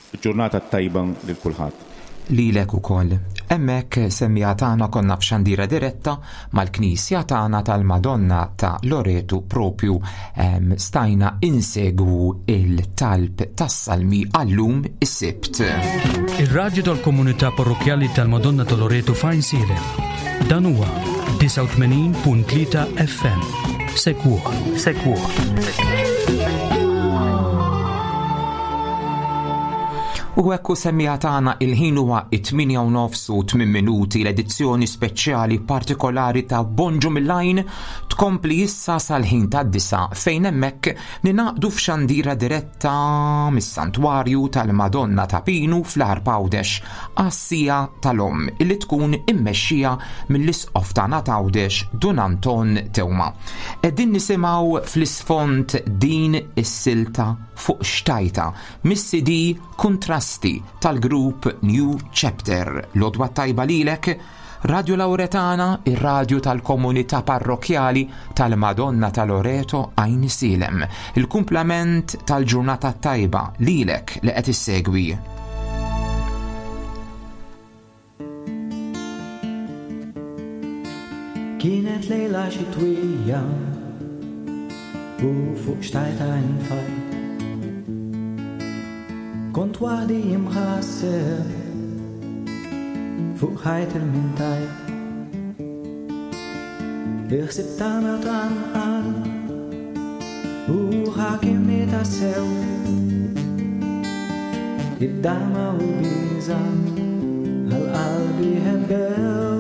Ġurnata tajba lil kulħadd. Lilek ukoll. Hemmhekk semmiegħa tagħna konna f'xandira diretta mal-Knisja tagħna tal-Madonna ta' Loreto propju em, stajna insegwu il-talb tas-salmi għallum is-Sibt. Ir-radju tal-komunità parrokjali tal-Madonna ta' Loreto f'Għajnsielem. Dan huwa disgħa u tmenin punt tlieta F M. Segwuh, segwuh. U ekku semmiegħa tagħna, il-ħin huwa it-tmienja u nofs u tmien minuti. L-edizzjoni speċjali partikolari ta' Bonġu mill-Għajn tkompli issa sal-ħin ta' disgħa, fejn hemmhekk ningħaqdu f'xandira diretta mis-Santwarju tal-Madonna ta' Pinu fl-Għarb Għawdex għas-siegħa tal-Omm illi tkun immexxija mill-Isqof tagħna t'Għawdex, Dun Anton Teuma. Qegħdin nisimgħu fl-isfond din is-silta "Fuq Xtajta" mis-C D Kuntrasti tal-grupp New Chapter. L-għodwa tajba lilek, Radio Lauretana, ir-radju tal-komunità parrokjali tal-Madonna ta' Loreto, Għajnsielem. Il-kumplament tal-ġurnata tajba lilek li qed issegwi. Kienet lejla xitwija u fuq xtajta infajt. Kont waħdi imħasseb fuq ħajt il-mintajt. Il-ħsib ta' mewt anqal u ħakimni tassew. Id-dama u l-biża' għal qalbi ħebbew.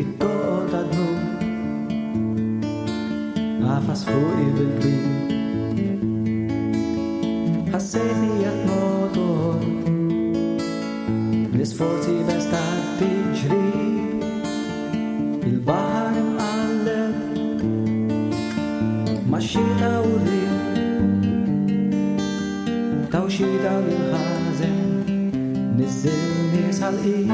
It-toqol ta' dnub għafas fuqi bil-kbir. Ħassejtni qed notor l-isforzi bes ta' tiġrib. Il-baħar imqalleb max-xita u r-riħ taw xita lil-ħażen niżżilni sal-qiegħ.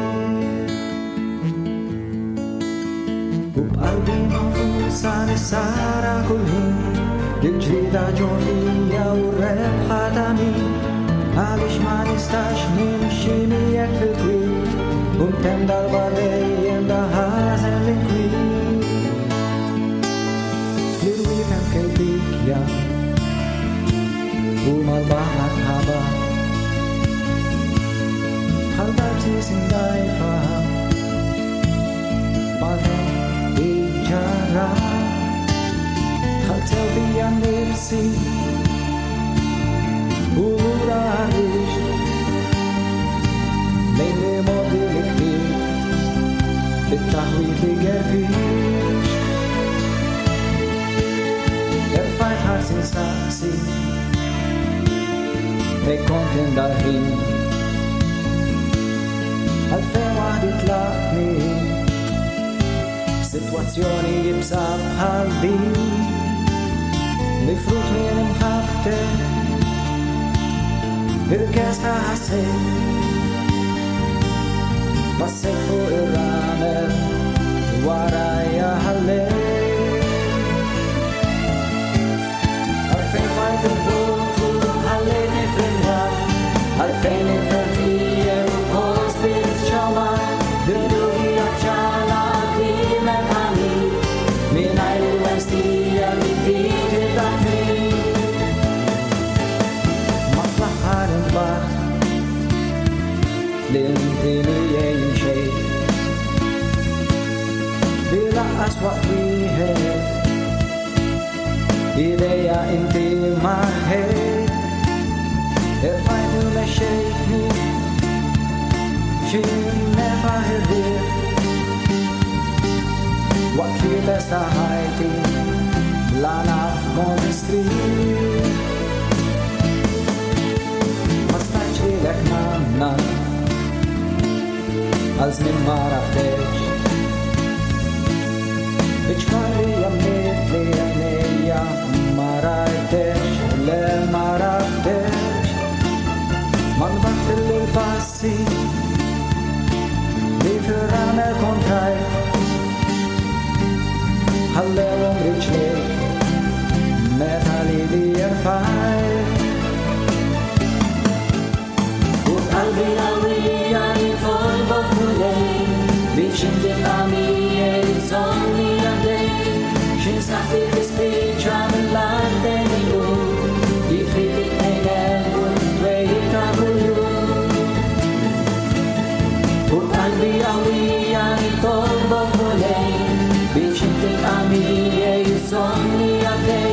U b'qalbi magħfusa nissara kull ħin il-ġrida ġo fija u r-rebħa ta' min, għaliex ma nistax nimxi miegħek fil-kwiet u ntemm darba dejjem daħażen l-inkwiet. L-irwiefen kelbikja u mal-baħar ħaba bħal darbsi sindajfa mal-temp iġġarra. Dħalt sew fija nnifsi u lura ħriġt lejn li modi li ktibt it-taħwit li gerfiċ. Erfajt ħarsi nsaqsi fej kont indal-ħin, għalfejn waħdi tlaqni f'sitwazzjoni iebsa bħal din. Mifrud minn imħabbtek il-kesħa ħassejt, passejt fuq ir-ramel warajja ħallejt. Għalfejn fajt il-bot u ħallejtni fil-nar, għalfejn il-fertije u post bil-ċawar, bil-ruħi għacċala klimek ħanin, mingħajr il-westija li bdiet id-dakni. Ma fl-aħħar intbaħt li miegħi mxejt. Li lanqas waqt wieħed idejja inti ma rħejt. Irfajtni u mexxejtni x'ħin nefaħ ir-riħ. Waqt li testa ħajti la naf kont nistrieħ. Ma stajtx lilek nanna għal żmien ma għaraftekx. Biċ-ċkar li għammiet li għajnejja ma rajtekx, le ma għaraftekx. Ma nbaħt il-passi li fil-ramel kontrajt. Ħallewhom riġlejk meta li li jerfajt. U b'qalbi qawwija nitolbok Mulej biex inti tibqa' miegħi żommni għaddej. X'ħin saħħti tispiċċa mill-art il-jum, jitfik it-tnejn għelbu t-twejjid ta' kuljum. U b'qalbi qawwija nitolbok Mulej biex inti tibqa' miegħi żommni għaddej.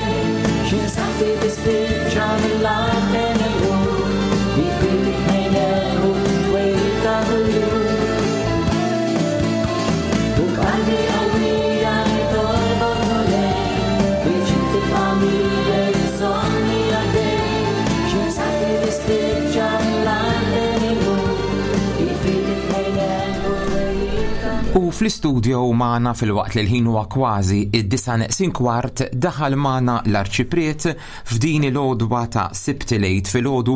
X'ħin saħħti tispiċċa mill-art il-jum, jitfik it-tnejn għelbu t-twejjid ta' kuljum. U b'qalbi qawwija nitolbok Mulej biex inti tibqa' miegħi żommni għaddej. X'ħin saħħti tispiċċa mill-art il-jum, jitfik it-tnejn għelbu t-twejjid ta' U fl-istudio magħna filwaqt li l-ħin huwa kważi id-disa neqsin kwart daħal magħna l-Arċipriet f'din il-għodwa ta' Sibt il-Għid filgħodu.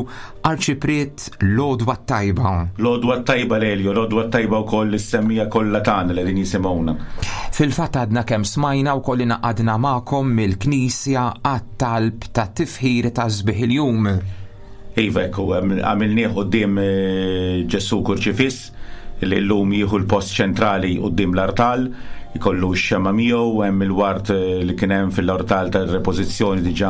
Arċipriet, l-għodwa tajba. L-għodwa tajba Lelio, l-għodwa tajba wkoll is-semmiegħa kollha tagħna li qegħdin jisimgħuna. Fil-fatt għadna kemm smajna wkoll ingħaqadna magħkom mill-Knisja għat-talb ta' tifħir ta' sbieħ il-jum. Iva, ekku, għamilnieh quddiem, eh, Ġesù Kurċifiss li llum jieħu l-post ċentrali quddiem l-artal, jkollu x-xema miegħu, hemm il-ward, eh, li kien hemm fil-artal tar-repożizzjoni diġà,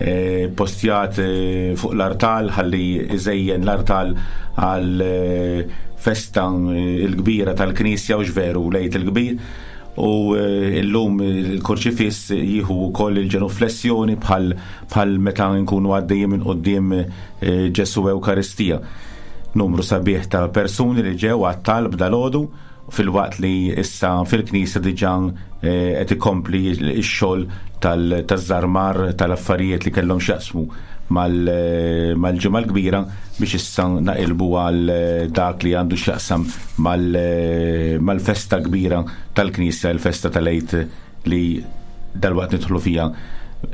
eh, postjat, eh, fuq l-artal ħalli iżejjen l-artal għal, eh, festa, eh, il-kbira tal-Knisja u x'veru l-Għid il-Kbir. U, eh, illum il-kurċifiss jieħu wkoll il-ġenuflessjoni bħal, bħal meta nkunu għaddejjin minn quddiem, eh, Ġesù Ewkaristija. Numru sabiħ ta' persuni li ġew għat-talb dalgħodu filwaqt li issa fil-Knisja diġà, eh, qed ikompli x-xogħol tal-, taż-żarmar tal-affarijiet li kellhom x'jaqsmu mal-, eh, mal-ġimgħa l-kbira biex issa naqilbu għal, eh, dak li għandu x'jaqsam mal-, eh, mal-festa kbira tal-Knisja, il-festa tal-Għid li dalwaqt nidħlu fiha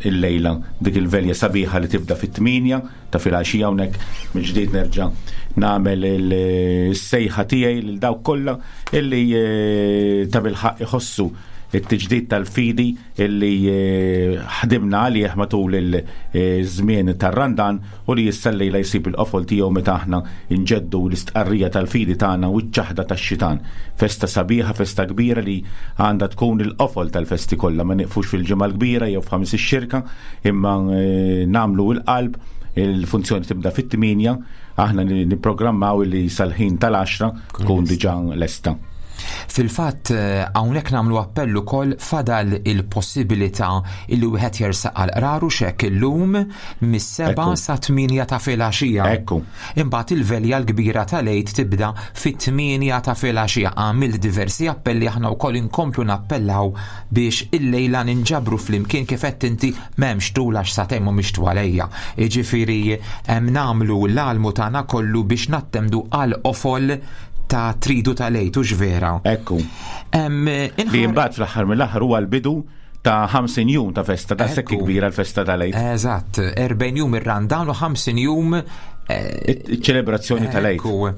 il-lejla, dik il-velja sabiħa li tibda fit-tminja ta' filgħaxija. Hawnhekk mill-ġdid nerġa' nagħmel il-sejħa tiegħi lil dawk kollha illi, eh, ta' bilħaqq iħossu it-tiġdid tal-fidi illi, eh, ħdimna għalih matul il-żmien tar-Randan u li issa llejla jsib il-qofol tiegħu meta aħna nġeddu l-istqarrija tal-fidi tagħna u ċ-ċaħda tax-xitan. Festa sabiħa, festa kbira li għandha tkun il-qofol tal-festi kollha, ma nieqfux fil-ġimgħa l-kbira jew f'ħamis ix-xirka, imma, eh, nagħmlu l-qalb. Il-funzjoni tibda fit-tminja, aħna ni-, nipprogrammaw li sal-ħin tal-għaxra tkun diġà lesta. Fil-fatt, eh, hawnhekk nagħmlu appell ukoll fadal il-possibilità illi wieħed jersaq għal qraru xek illum mis-seba' Ekku. sa tminja ta' filgħaxija. Ekku. Imbagħad il-velja l-kbira tal-Għid tibda fit-tminja ta' filgħaxija. Għamilt diversi appelli, aħna wkoll inkomplu nappellaw biex illejla ninġabru flimkien kif qed inti m'hemmx tul għax sakemm mhumiex twalejja. Jiġifieri hemm nagħmlu l-almu tagħna kollu biex nattendu għal qofol ta' tridu tal-Għid, hux vera? Ekku. Em, Li inħar- imbagħad fl-aħħar mill-aħħar huwa l-bidu ta' ħamsin jum ta' festa, ta' sekk Ekku. kbira l-festa tal-Għid. Eżatt, erbgħin jum ir-Randan u ħamsin jum, eh, Iċ-ċelebrazzjoni tal-Għid. Ekku.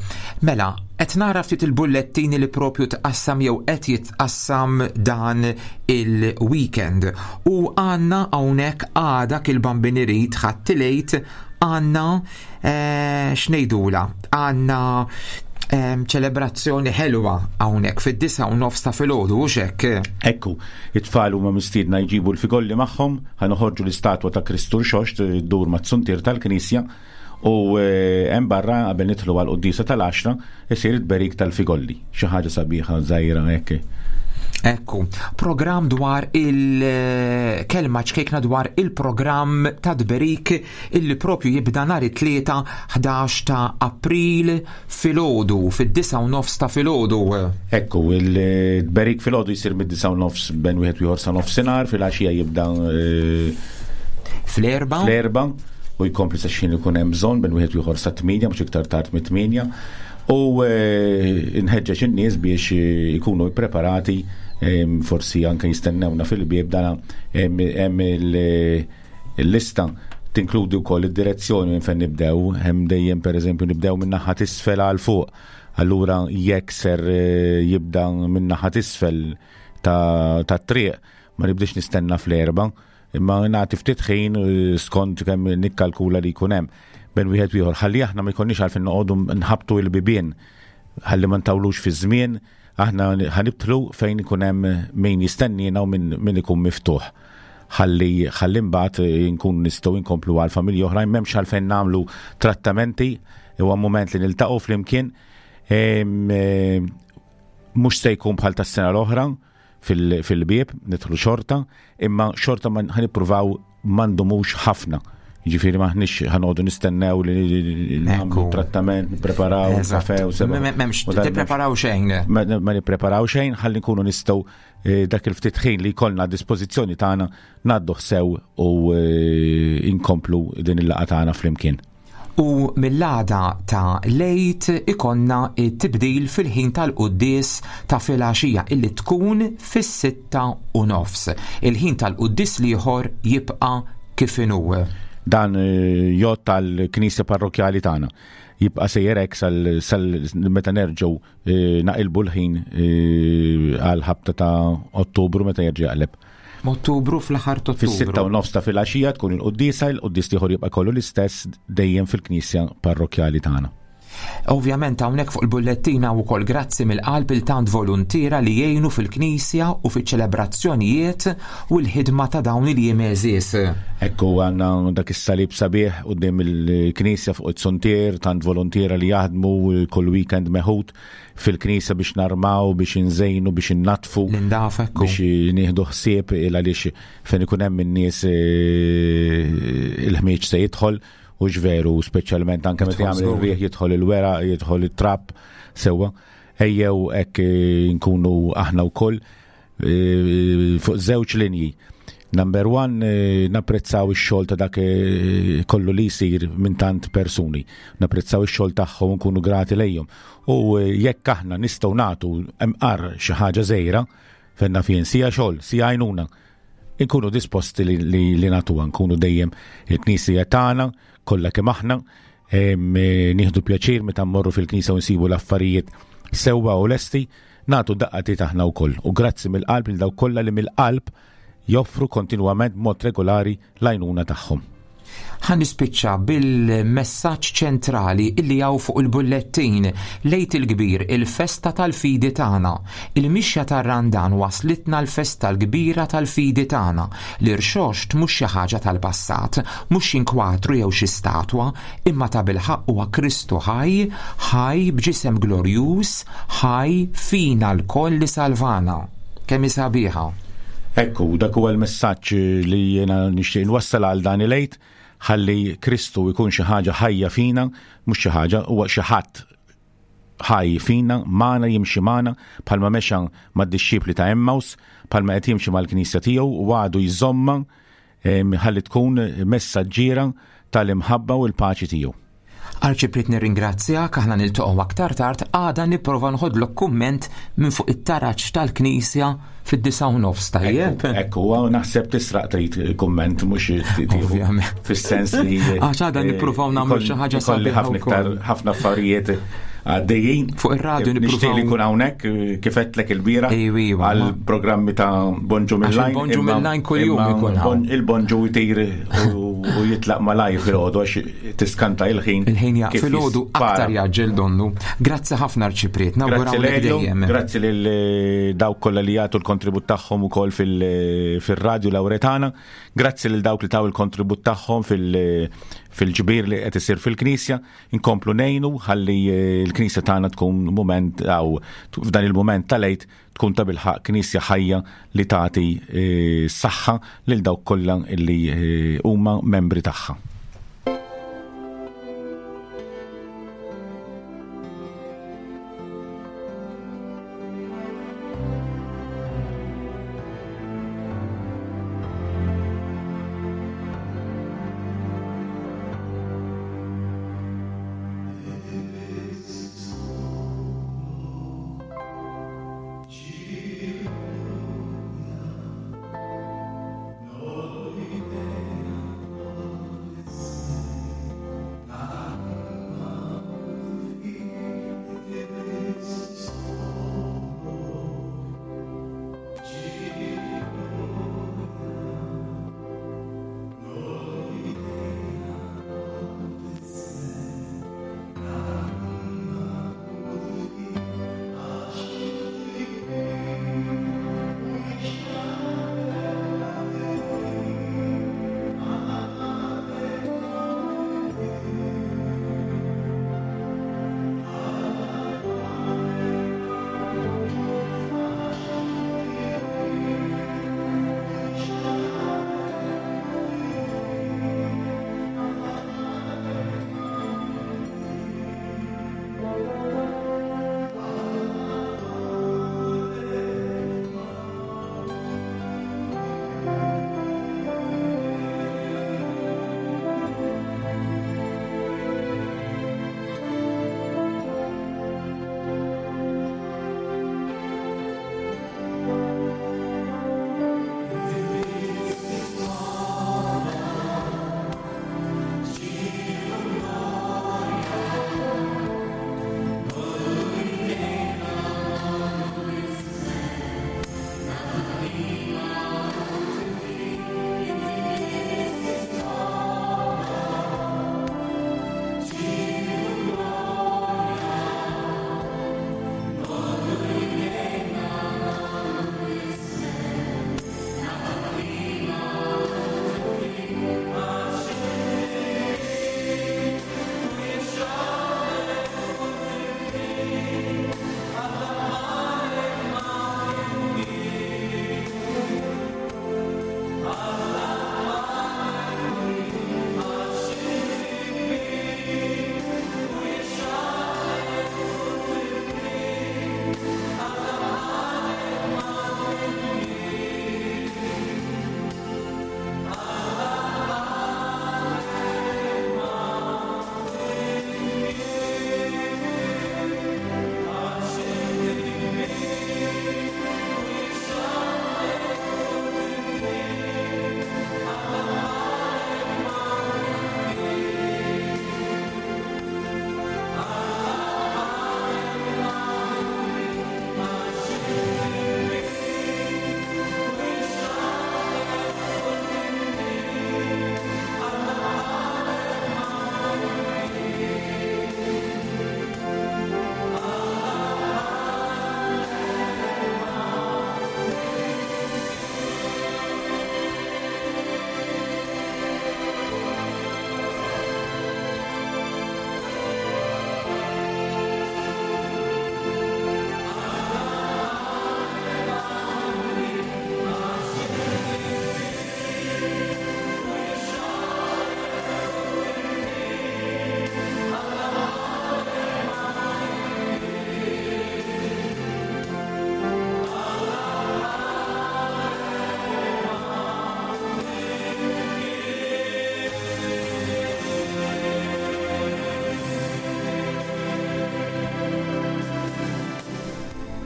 Mela, qed nara ftit il-bullettini li propju tqassam jew qed jitqassam dan il-weekend. U għandna hawnhekk għada kil-Bambin irid ħadd il-Għid għandna, eh, x'ngħidula? Għandna, em, ċelebrazzjoni ħelwa hawnhekk fid-disa u nofs ta' filgħodu, hux hekk? Ekku, it-tfal huma mistiedna jġibu l-figolli magħhom, ħa noħorġu l-istatwa ta' Kristu Rxoxt ddur mat-suntier tal-Knisja U eh, hemm barra qabel nidħlu għal quddiesa tal-għaxra isir it-tberik tal-figolli, xi ħaġa sabiħa żgħira hekk. Ekku, program dwar il-kelma ċkejkna dwar il-program ta' tberik illi propju jibda nhar it-tlieta ħdax ta' April filgħodu, fid-disgħa u nofs ta' filgħodu. Ekku, il-tberik filgħodu jsir mid-disgħa u nofs bejn wieħed u ieħor sa nofsinhar, filgħaxija jibda eh, fl-erba. Fl-erba u jkompli sa xejn ikun hemm bżonn bejn wieħed u ieħor sa tmienja, mhux iktar tard mit-tmienja. U eh, nħeġġeġ in-nies biex eh, ikunu ppreparati, em, forsi anke jistennewna fil-bieb. Dana hemm il-lista tinkludi wkoll id-direzzjoni minn fejn nibdew, hemm dejjem pereżempju nibdew minn naħa t'isfel għal fuq. Allura jekk ser eh, jibda minn naħa t'isfel ta' triq, ma nibdiex nistenna fl-erba, imma nagħti ftit ħin eh, skont kemm nikkalkula li jkun hemm bejn wieħed u ieħor. Ħalli aħna ma jkollniex għalfejn noqogħdu nħabtu il-bibien, ħalli ma ntawlux fi żmien, aħna ħanibtlu fejn ikun hemm min jistennina u min, min ikun miftuħ. Ħalli ħalli mbagħad nkun nistgħu nkomplu għal familji oħrajn, m'hemmx għalfejn nagħmlu trattamenti, huwa mument li niltaqgħu flimkien. Mhux se jkun bħal tas-sena l-oħra fil-bieb, nidħlu xorta, imma xorta ma ħanippruvaw ma ndumux ħafna. Ġifieri maħniex ħanoqogħdu nistennew li nagħmlu trattament, nippreparaw kafe u seba. M'hemmx tippreparaw xejn. Ma nippreparaw xejn, ħalli nkunu nistgħu dak il-ftit ħin li jkollna a dispożizzjoni tagħna ngħaddu sew u inkomplu din il-laqgħa tagħna flimkien. U mill-għada ta' lejt ikonna tibdil fil-ħin tal-quddies ta' filgħaxija illi tkun fis-sitta u nofs. Il-ħin tal-quddies l-ieħor jibqa' kif inhu. Dan jgħodd tal-Knisja Parrokkjali tagħna. Jibqa' sejjer hekk sal meta nerġgħu naqilbu l-ħin għal ħabta ta' Ottubru meta jerġa' jaqleb. Ottubru, fl-aħħar ta' Ottubru. Fis-sitta u nofs ta' filgħaxija tkun il-quddiesa, il-quddies ieħor jibqa' kollu l-istess dejjem fil-Knisja Parrokkjali tagħna. Ovvjament hawnhekk fuq il-bullettina wkoll grazzi mill-qalb il tant voluntiera li jgħinu fil-Knisja u fiċ-ċelebrazzjonijiet u l-ħidma ta' dawn il-jiem għeżież. Ekku għandna dak is-salib sabiħ quddiem il-Knisja fuq it-suntier, tant voluntiera li jaħdmu kull weekend meħud fil-Knisja biex narmaw, biex inżejnu, biex innatfu, L-indafa, ekku. biex nieħdu ħsieb il għaliex fejn ikun hemm in-nies il-ħmieġ se jidħol. U ġveru, speċjalment anke meta jagħmel ir-riħ jidħol il-weraq, jidħol it-trab sewwa. Ejjew hekk nkunu aħna wkoll fuq żewġ linji. Number one, napprezzaw ix-xogħol ta' dak kollu li jsir minn tant persuni. Napprezzaw ix-xogħol tagħhom u nkunu grati lejhom. U jekk aħna nistgħu nagħtu imqar xi ħaġa żgħira, fejn naf jien sija xogħol, sija għajnuna, inkunu disposti li, li, li nagħtuha, nkunu dejjem il-Knisja tagħna, kollha kemm aħna, nieħdu pjaċir meta mmorru fil-Knisja u nsibu l-affarijiet sewwa u lesti, nagħtu daqqa aħna wkoll. U grazzi mill-qalb lil dawk kollha li mill-qalb joffru kontinwament b'mod regolari l-għajnuna tagħhom. Ħa nispiċċa bil-messaġġ ċentrali illi hawn fuq il-bullettin. Lejt il-kbir, il-festa tal-fidi tagħna. Il-mixja tar-Randan waslitna l-festa l-kbira tal-fidi tagħna. L-irxoxt mhux xi ħaġa tal-passat, mhux xi inkwatru jew xi statwa, imma ta' bilħaqq huwa Kristu ħaj, ħaj b'ġisem glorjuż, ħaj fina lkoll li salvana. Kemm hi sabiħa. Ekku, dak huwa l-messaġġ li jiena nixtieq nwassal għal dan il-Għid, ħalli Kristu jkun xi ħaġa ħajja fina, mhux xi ħaġa, huwa xi ħadd ħaj fina, magħna, jimxi magħna, bħalma mexa mad-dixxipli ta' Emmaus, bħalma qed jimxi mal-Knisja tiegħu u għadu jżomma, ħalli tkun messaġġiera tal-imħabba u l-paċi tiegħu. Arċipriet, nirringrazzjak, aħna niltaqgħu aktar tard, għada nipprova nħodlok kumment minn fuq it-taraġ tal-Knisja fid-disgħa u nofs, tajjeb? Ekku, ekku, għaw naħseb tisraq trid kumment, mhux tieħu Ovvjament. fis-sens li, Għax għada eh, nippruvaw nagħmlu xi ħaġa ikolli sabiħa ħafna iktar, wkoll. ħafna affarijiet għaddejjin. Fuq ir-radju Nixtieq nippruvaw li nkun hawnhekk, kif għedtlek il-bieraħ, Ejwa, ejwa, għal ma- programmi ta' Bonġu Għax mill-Line, il-Bonġu imma mill-Line kuljum imma ikun hawn. bon-, il-Bonġu jtir u, u jitlaq malajr filgħodu għax tiskanta il-ħin. Il-ħin jaq kif filgħodu jispara. aktar jaġġel donnu. Grazzi ħafna Arċipriet, Grazzi nawgurawlek lejlu, dejjem. Grazzi lil dawk kollha li jagħtu l-kontribut tagħhom ukoll fil-, fir-radju Lawretana. Grazzi lil dawk li taw il-kontribut tagħhom fil-, fil-ġbir li qed isir fil-Knisja, inkomplu ngħinu ħalli l-Knisja tagħna tkun mument aw f'dan il-mument tal-Għid tkun ta' bilħaq Knisja ħajja li tagħti saħħa lil dawk kollha li huma membri tagħha.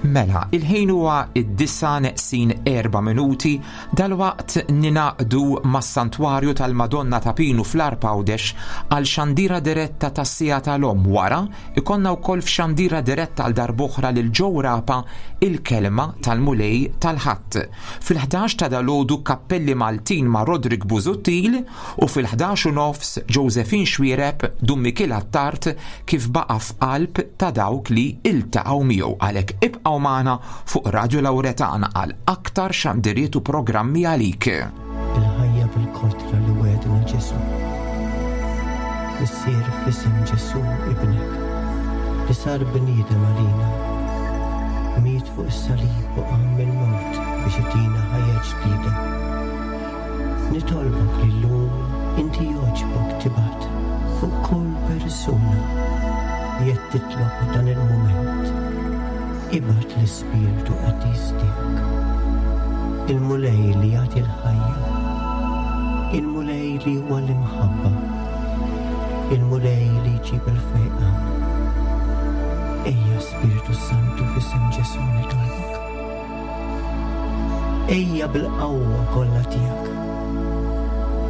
Mela, il-ħin huwa id-disa neqsin erba' minuti, dalwaqt ninaqdu mas-Santwarju tal-Madonna ta' Pinu fl-Għarb Għawdex għal xandira diretta tas-sija tal-om. Wara, ikonna wkoll f'xandira diretta għal darb'oħra lil Joe Rapa il-kelma tal-Mulej tal-Ħadd. Fil-ħdax ta' dalodu Kappelli Maltin ma' Rodrik Busuttil u fil-ħdax u nofs Josephine Xuereb Dun Mikiel Attard kif baqa' f'qalb ta' dawk li iltaqgħu miegħu. Għalhekk ibqgħu magħna fuq Radio Lauretana għal aktar xandiriet u programmi għalik. Il-ħajja bil-kotra li wegħedna Ġesù. Missier, f'isem Ġesù ibnek, li sar bniedem għalina, miet fuq is-salib u qam mill-mewt biex itina ħajja ġdida. Nitolbok li llum inti jogħġbok tibgħat fuq kull persuna li qed titlob dan il-mument. Ibgħat l-Ispirtu Qaddis tiegħek. Il-Mulej li jagħti l-ħajja. Il-Mulej li huwa l-imħabba. Il-Mulej li jġib il-fejqan. Ejja, Spiritu Santu, f'isem Ġesù nitolbok. Ejja bil-qawwa kollha tiegħek.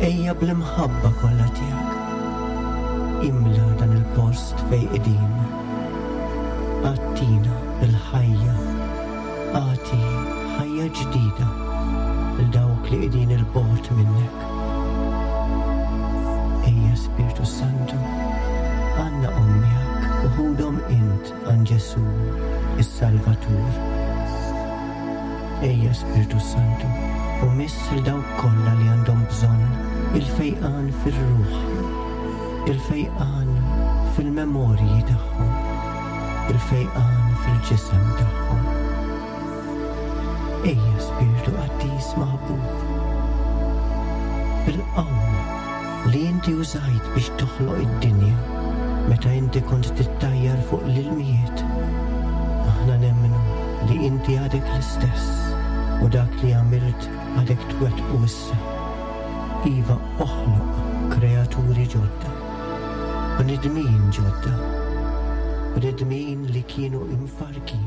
Ejja bl-imħabba kollha tiegħek. Imla dan il-post fejn qegħdin. Agħtina bil-ħajja. Agħti ħajja ġdida lil dawk li qegħdin 'il bogħod minnek. Ejja, Spiritu Santu, għannaqhom miegħek u ħudhom int għand Ġesù, is-Salvatur. Ejja, Spiritu Santu, u miss lil dawk kollha li għandhom bżonn il-fejqan fir-ruħ, il-fejqan fil-memorji tagħhom, il-fejqan fil-ġisem tagħhom. Ejja, Spiritu Qaddis maħbub, bil-qawwa li inti użajt biex toħloq id-dinja meta inti kont tittajjar fuq l-ilmijiet. Aħna nemmnu li inti għadek l-istess u dak li għamilt għadek twettqu issa. Iva, oħloq kreaturi ġodda, bnedmin ġodda, bnedmin li kienu imfarrkin.